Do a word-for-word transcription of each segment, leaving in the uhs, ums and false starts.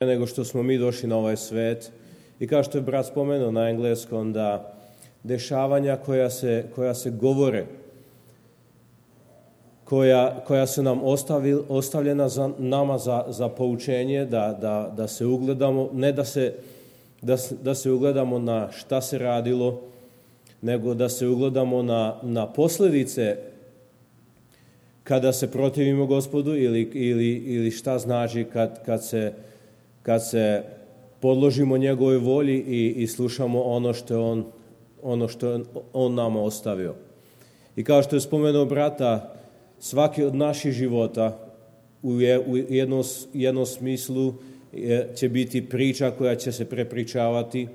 nego što smo mi došli na ovaj svet. I kao što je brat spomenuo na engleskom, da dešavanja koja se, koja se govore, koja, koja su nam ostavi, ostavljena za, nama za, za poučenje, da, da, da se ugledamo, ne da se, da, da se ugledamo na šta se radilo, nego da se ugledamo na, na posljedice kada se protivimo Gospodu ili, ili, ili šta znači kad, kad, se, kad se podložimo njegovoj volji i, i slušamo ono što je on, ono što je on nama ostavio. I kao što je spomenuo brata, svaki od naših života u, je, u jednom, jednom smislu je, će biti priča koja će se prepričavati,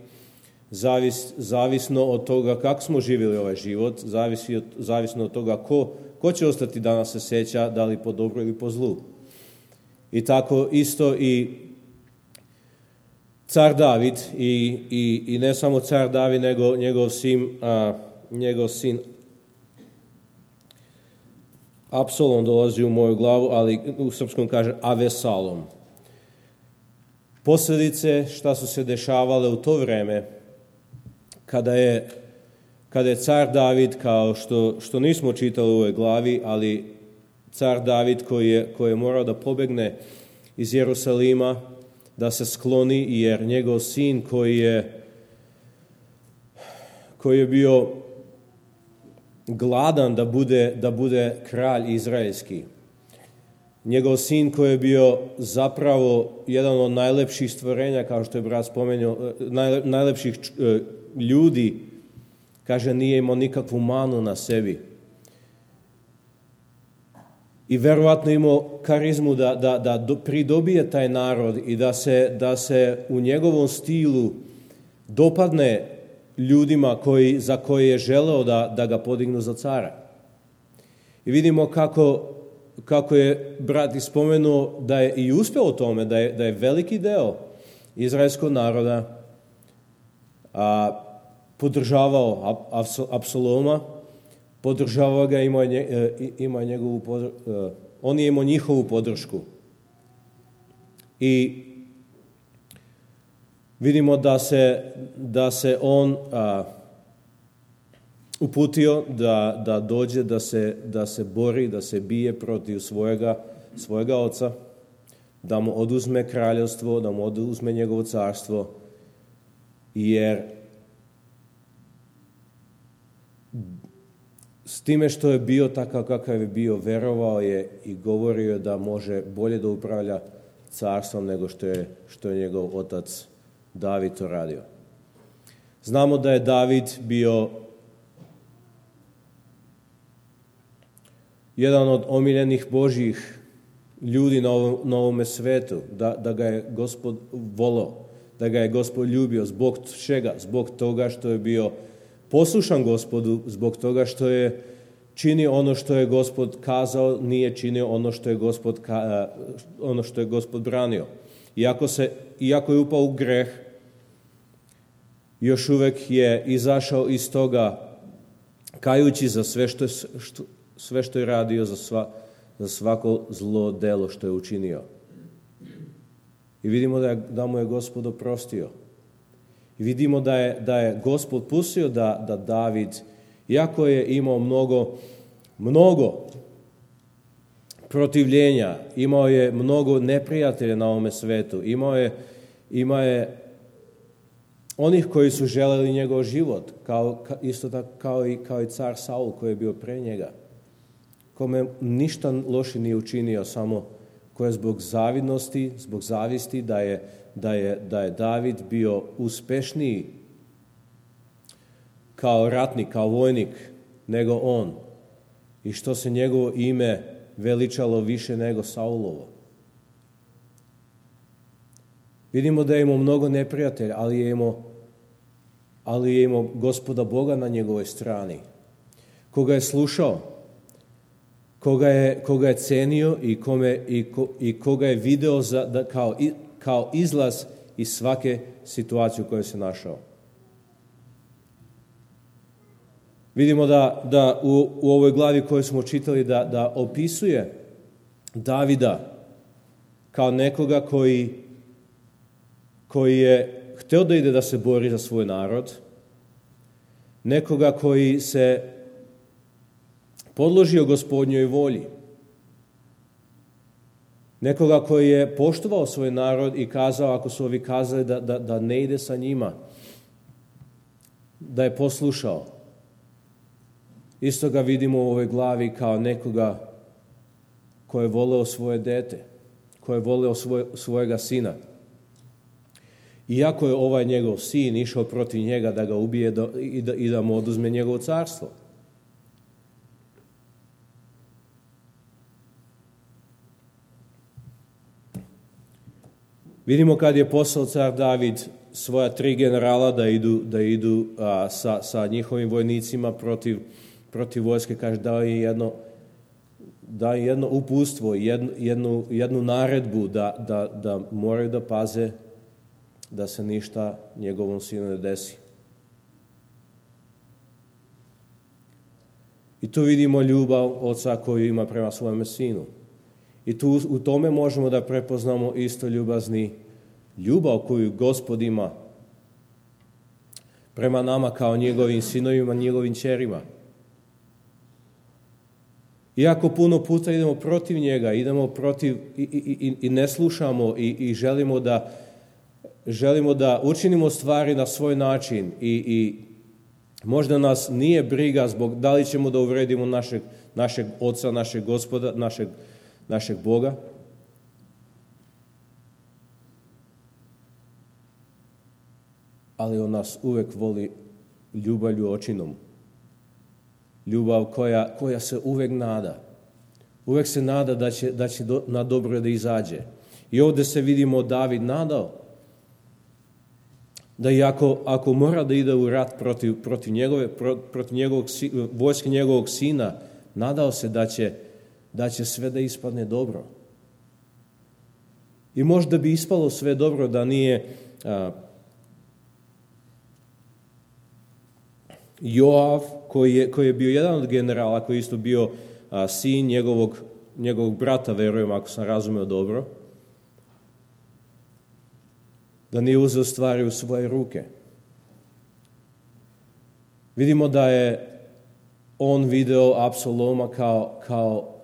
zavis, zavisno od toga kako smo živjeli ovaj život, zavisi od, zavisno od toga ko, ko će ostati da nas se sjeća, da li po dobru ili po zlu. I tako isto i car David i, i, i ne samo car David, nego njegov sin, a, njegov sin Apsolom dolazi u moju glavu, ali u srpskom kaže Avesalom. Posljedice šta su se dešavale u to vreme, kada je, kada je car David, kao što, što nismo čitali u ovoj glavi, ali car David koji je, koji je morao da pobegne iz Jerusalima, da se skloni, jer njegov sin koji je, koji je bio gladan da bude, da bude kralj izraelski. Njegov sin koji je bio zapravo jedan od najlepših stvorenja, kao što je brat spomenuo, najlepših ljudi, kaže, nije imao nikakvu manu na sebi. I verovatno imao karizmu da, da, da pridobije taj narod i da se, da se u njegovom stilu dopadne ljudima koji, za koje je želeo da, da ga podignu za cara. I vidimo kako, kako je brat ispomenuo da je i uspeo u tome, da je, da je veliki deo izraelskog naroda a, podržavao Apsoloma, podržavao ga, imao je, imao je njegovu podršku, on je imao njihovu podršku. I vidimo da se, da se on a, uputio da, da dođe, da se, da se bori, da se bije protiv svojega, svojega oca, da mu oduzme kraljevstvo, da mu oduzme njegovo carstvo, jer s time što je bio takav kakav je bio, verovao je i govorio da može bolje da upravlja carstvom nego što je, što je njegov otac David to radio. Znamo da je David bio jedan od omiljenih Božjih ljudi na ovom, na ovome svetu, da, da ga je Gospod voleo, da ga je Gospod ljubio. Zbog čega? Zbog toga što je bio poslušan Gospodu, zbog toga što je činio ono što je Gospod kazao, nije činio ono što je Gospod, ono što je Gospod branio. Iako, se, iako je upao u greh, još uvek je izašao iz toga kajući za sve što je, što, sve što je radio, za, sva, za svako zlo delo što je učinio. I vidimo da, je, da mu je Gospod oprostio. I vidimo da je, da je Gospod pustio da, da David, iako je imao mnogo, mnogo protivljenja, imao je mnogo neprijatelja na ovome svetu, imao je, imao je onih koji su želeli njegov život, kao, isto tako kao i, kao i car Saul koji je bio pre njega, kome ništa loše nije učinio, samo koje zbog zavidnosti, zbog zavisti da je, da je, da je David bio uspešniji kao ratnik, kao vojnik nego on, i što se njegovo ime veličalo više nego Saulovo. Vidimo da je imao mnogo neprijatelja, ali je imao, ali je imao Gospoda Boga na njegovoj strani, koga je slušao, koga je, koga je cenio i, kome, i, ko, i koga je video za, da, kao, kao izlaz iz svake situacije u kojoj se našao. Vidimo da, da u, u ovoj glavi koju smo čitali da, da opisuje Davida kao nekoga koji koji je htio da ide da se bori za svoj narod, nekoga koji se podložio Gospodnjoj volji, nekoga koji je poštovao svoj narod i kazao, ako su ovi kazali da, da, da ne ide sa njima, da je poslušao. Isto ga vidimo u ovoj glavi kao nekoga ko je voleo svoje dete, ko je voleo svoj, svojega sina. Iako je ovaj njegov sin išao protiv njega da ga ubije da, i, da, i da mu oduzme njegovo carstvo. Vidimo kad je poslao car David svoja tri generala da idu, da idu a, sa, sa njihovim vojnicima protiv, protiv vojske, kaže dao je jedno, dao je jedno uputstvo, jednu, jednu, jednu naredbu da, da, da moraju da paze da se ništa njegovom sinu ne desi. I tu vidimo ljubav oca koju ima prema svojemu sinu. I tu u tome možemo da prepoznamo isto ljubazni ljubav koju Gospod ima prema nama kao njegovim sinovima, njegovim ćerima. Iako puno puta idemo protiv njega, idemo protiv i, i, i ne slušamo i, i želimo da želimo da učinimo stvari na svoj način i, i možda nas nije briga zbog da li ćemo da uvredimo našeg, našeg oca, našeg Gospoda, našeg našeg Boga. Ali on nas uvek voli ljubavlju očinom. Ljubav koja, koja se uvek nada. Uvek se nada da će, da će do, na dobro da izađe. I ovdje se vidimo David nadao da i ako, ako mora da ide u rat protiv, protiv, njegove, protiv njegovog, vojske njegovog sina, nadao se da će da će sve da ispadne dobro. I možda bi ispalo sve dobro da nije a, Joav, koji je, koji je bio jedan od generala, koji je isto bio a, sin njegovog, njegovog brata, verujem, ako sam razumeo dobro, da nije uzeo stvari u svoje ruke. Vidimo da je on video Apsoloma kao, kao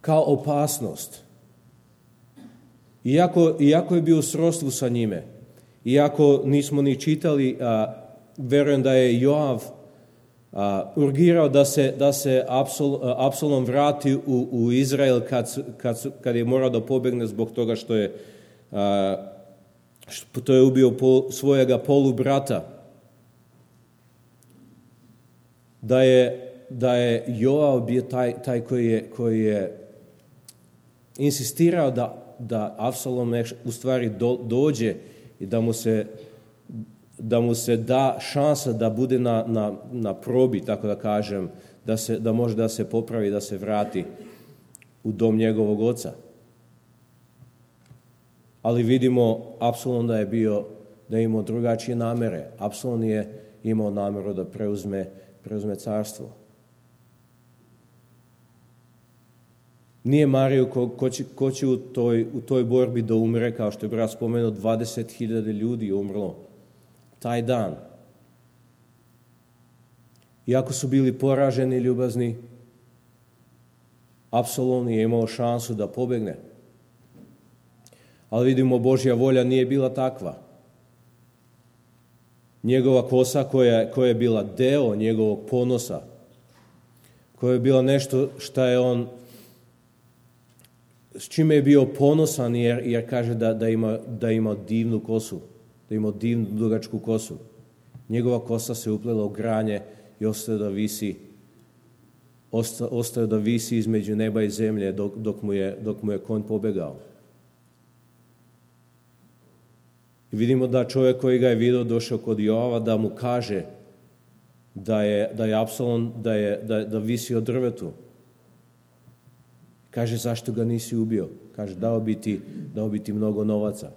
kao opasnost. Iako, iako je bio u srodstvu sa njime, iako nismo ni čitali, a, verujem da je Joav a, urgirao da se, da se Apsol, Apsolom vrati u, u Izrael kad, kad, kad je morao da pobegne zbog toga što je, a, što je ubio pol, svojega polubrata. Da je, da je Joav bio taj, taj koji je, koji je insistirao da, da Apsolom u stvari do, dođe i da mu se, da mu se da šansa da bude na, na, na probi, tako da kažem, da, se, da može da se popravi, da se vrati u dom njegovog oca. Ali vidimo Apsolom da je bio, da je imao drugačije namere. Apsolom je imao nameru da preuzme, preuzme carstvo. Nije mario ko, ko, će, ko će u toj, u toj borbi da umre, kao što je brat spomenuo, dvadeset hiljada ljudi je umrlo taj dan. Iako su bili poraženi i ljubazni, Apsolom je imao šansu da pobegne. Ali vidimo, Božja volja nije bila takva. Njegova kosa koja, koja je bila deo njegovog ponosa, koja je bila nešto što je on, s čime je bio ponosan, jer, jer kaže da, da, ima, da ima divnu kosu, da ima divnu dugačku kosu. Njegova kosa se uplela u granje i ostaje da visi, osta, ostaje da visi između neba i zemlje dok, dok, mu, je, dok mu je konj pobegao. I vidimo da čovjek koji ga je vidio došao kod Joava da mu kaže da je, da je Apsolom, da, je, da, da visi od drvetu. Kaže, zašto ga nisi ubio? Kaže, dao bi ti, dao bi ti mnogo novaca.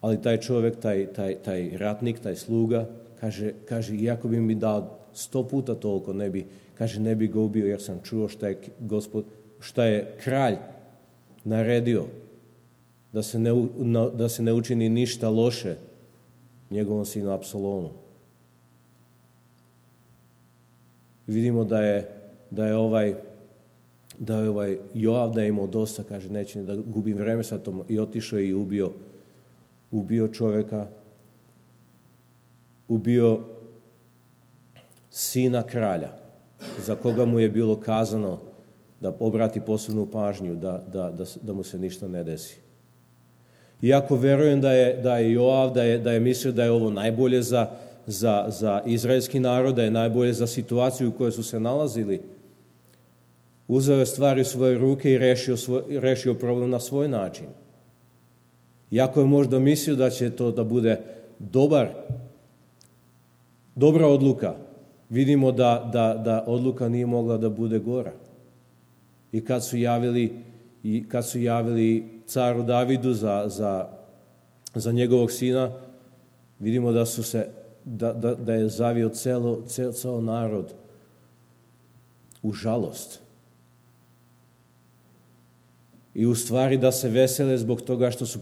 Ali taj čovjek, taj, taj, taj ratnik, taj sluga, kaže, kaže, iako bi mi dao sto puta toliko, ne bi, Kaže, ne bi ga ubio jer sam čuo šta je, gospod, šta je kralj naredio, da se, ne, da se ne učini ništa loše njegovom sinu Apsalomu. Vidimo da je, da je ovaj da je ovaj Joav da je imao dosta, kaže, neće da gubim vreme sa tom, i otišao i ubio ubio čovjeka, ubio sina kralja, za koga mu je bilo kazano da obrati posebnu pažnju, da, da, da, da mu se ništa ne desi. Iako verujem da je, da je Joav, da je, da je mislio da je ovo najbolje za, za, za izraelski narod, da je najbolje za situaciju u kojoj su se nalazili, uzeo je stvari u svoje ruke i rešio, svoj, rešio problem na svoj način. Iako je možda mislio da će to da bude dobar, dobra odluka, vidimo da, da, da odluka nije mogla da bude gora. I kad su javili, i kad su javili caru Davidu za, za, za njegovog sina, vidimo da su se da, da, da je zavio celo, cel, cel narod u žalost. I u stvari da se vesele zbog toga što su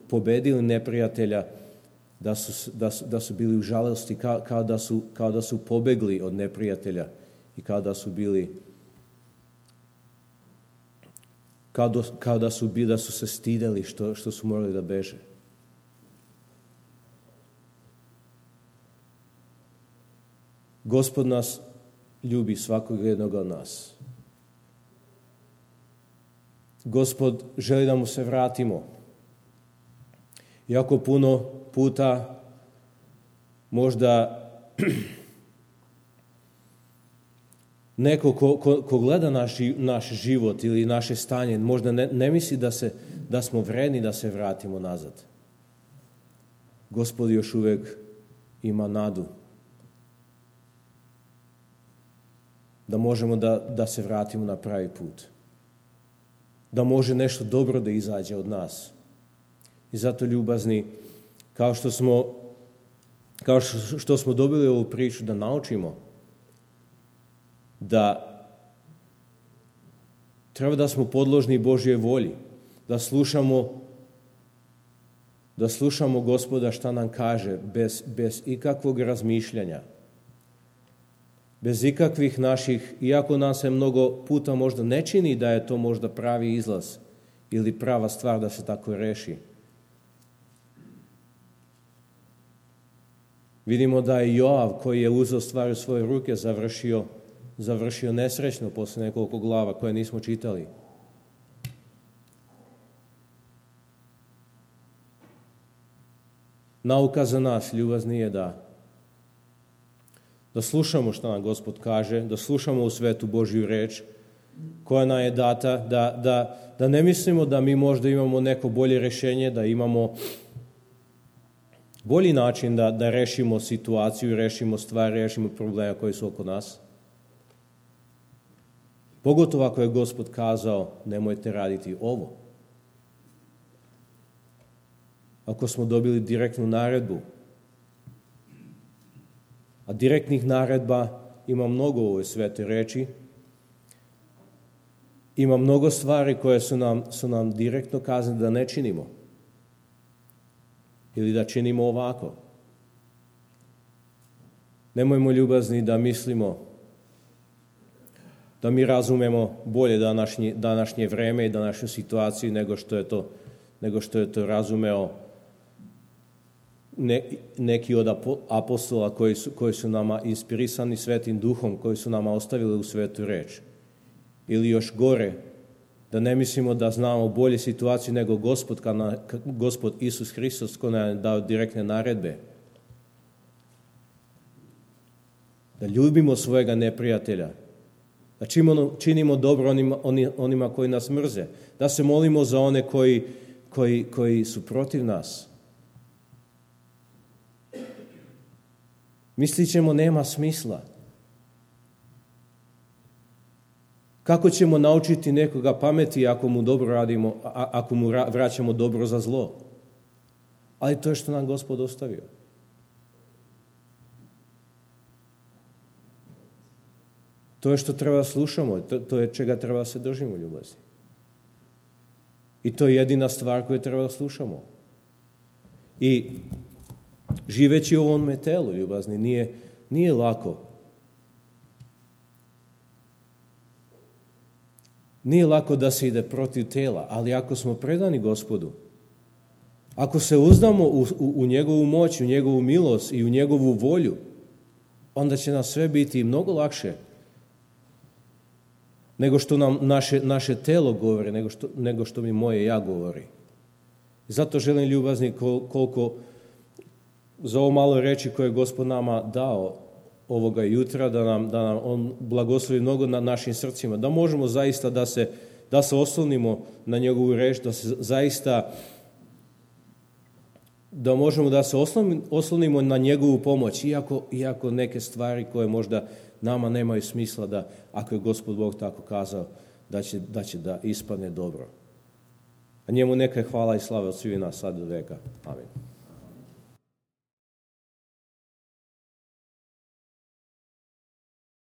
pobedili neprijatelja, da su, da su, da su bili u žalosti, kao, kao, da su, kao da su pobegli od neprijatelja i kao da su bili kao, do, kao da su bili, da su se stideli što, što su morali da beže. Gospod nas ljubi, svakog jednog od nas. Gospod želi da mu se vratimo. Iako puno puta možda neko ko, ko, ko gleda naš, naš život ili naše stanje, možda ne, ne misli da, se, da smo vredni da se vratimo nazad. Gospod još uvijek ima nadu da možemo da, da se vratimo na pravi put. Da može nešto dobro da izađe od nas. I zato, ljubazni, kao što smo, kao što, što smo dobili ovu priču, da naučimo da treba da smo podložni Božje volji, da slušamo da slušamo Gospoda šta nam kaže, bez, bez ikakvog razmišljanja, bez ikakvih naših, iako nam se mnogo puta možda ne čini da je to možda pravi izlaz ili prava stvar da se tako reši. Vidimo da je Joav, koji je uzeo stvari u svoje ruke, završio, završio nesrećno posle nekoliko glava koje nismo čitali. Nauka za nas, ljubazni, je da da slušamo što nam Gospod kaže, da slušamo u svetu Božju reč koja nam je data, da, da, da ne mislimo da mi možda imamo neko bolje rešenje, da imamo bolji način da, da rešimo situaciju, rešimo stvari, rešimo probleme koji su oko nas. Pogotovo ako je Gospod kazao, nemojte raditi ovo. Ako smo dobili direktnu naredbu, a direktnih naredba ima mnogo u ovoj svetoj reči, ima mnogo stvari koje su nam, su nam direktno kazane da ne činimo ili da činimo ovako. Nemojmo, ljubazni, da mislimo da mi razumemo bolje današnje, današnje vreme i današnju situaciju nego što je to, nego što je to razumeo ne, neki od apostola koji su, koji su nama inspirisani Svetim Duhom, koji su nama ostavili u svetu reč. Ili još gore, da ne mislimo da znamo bolje situaciju nego Gospod, kana, Gospod Isus Hristos, koji nam je dao direktne naredbe. Da ljubimo svojega neprijatelja, da činimo, činimo dobro onima, onima koji nas mrze, da se molimo za one koji, koji, koji su protiv nas. Mislit ćemo, nema smisla. Kako ćemo naučiti nekoga pameti ako mu dobro radimo, ako mu vraćamo dobro za zlo? Ali to je što nam Gospod ostavio. To je što treba da slušamo, to, to je čega treba da se držimo, ljubazni. I to je jedina stvar koju treba da slušamo. I živeći u ovome telu, ljubazni, nije, nije lako. Nije lako da se ide protiv tela, ali ako smo predani Gospodu, ako se uzdamo u, u, u njegovu moć, u njegovu milost i u njegovu volju, onda će nam sve biti mnogo lakše nego što nam naše, naše telo govori, nego što, nego što mi moje ja govori. Zato želim, ljubazni, kol, koliko za ovo malo reči koje je Gospod nama dao ovoga jutra, da nam, da nam on blagoslovi mnogo na našim srcima, da možemo zaista da se, da se oslonimo na njegovu reč, da se zaista da možemo da se oslonimo na njegovu pomoć, iako, iako neke stvari koje možda nama nemaju smisla, da ako je Gospod Bog tako kazao, da će da, će da ispadne dobro. A njemu neka je hvala i slava od svih nas sad do veka. Amin.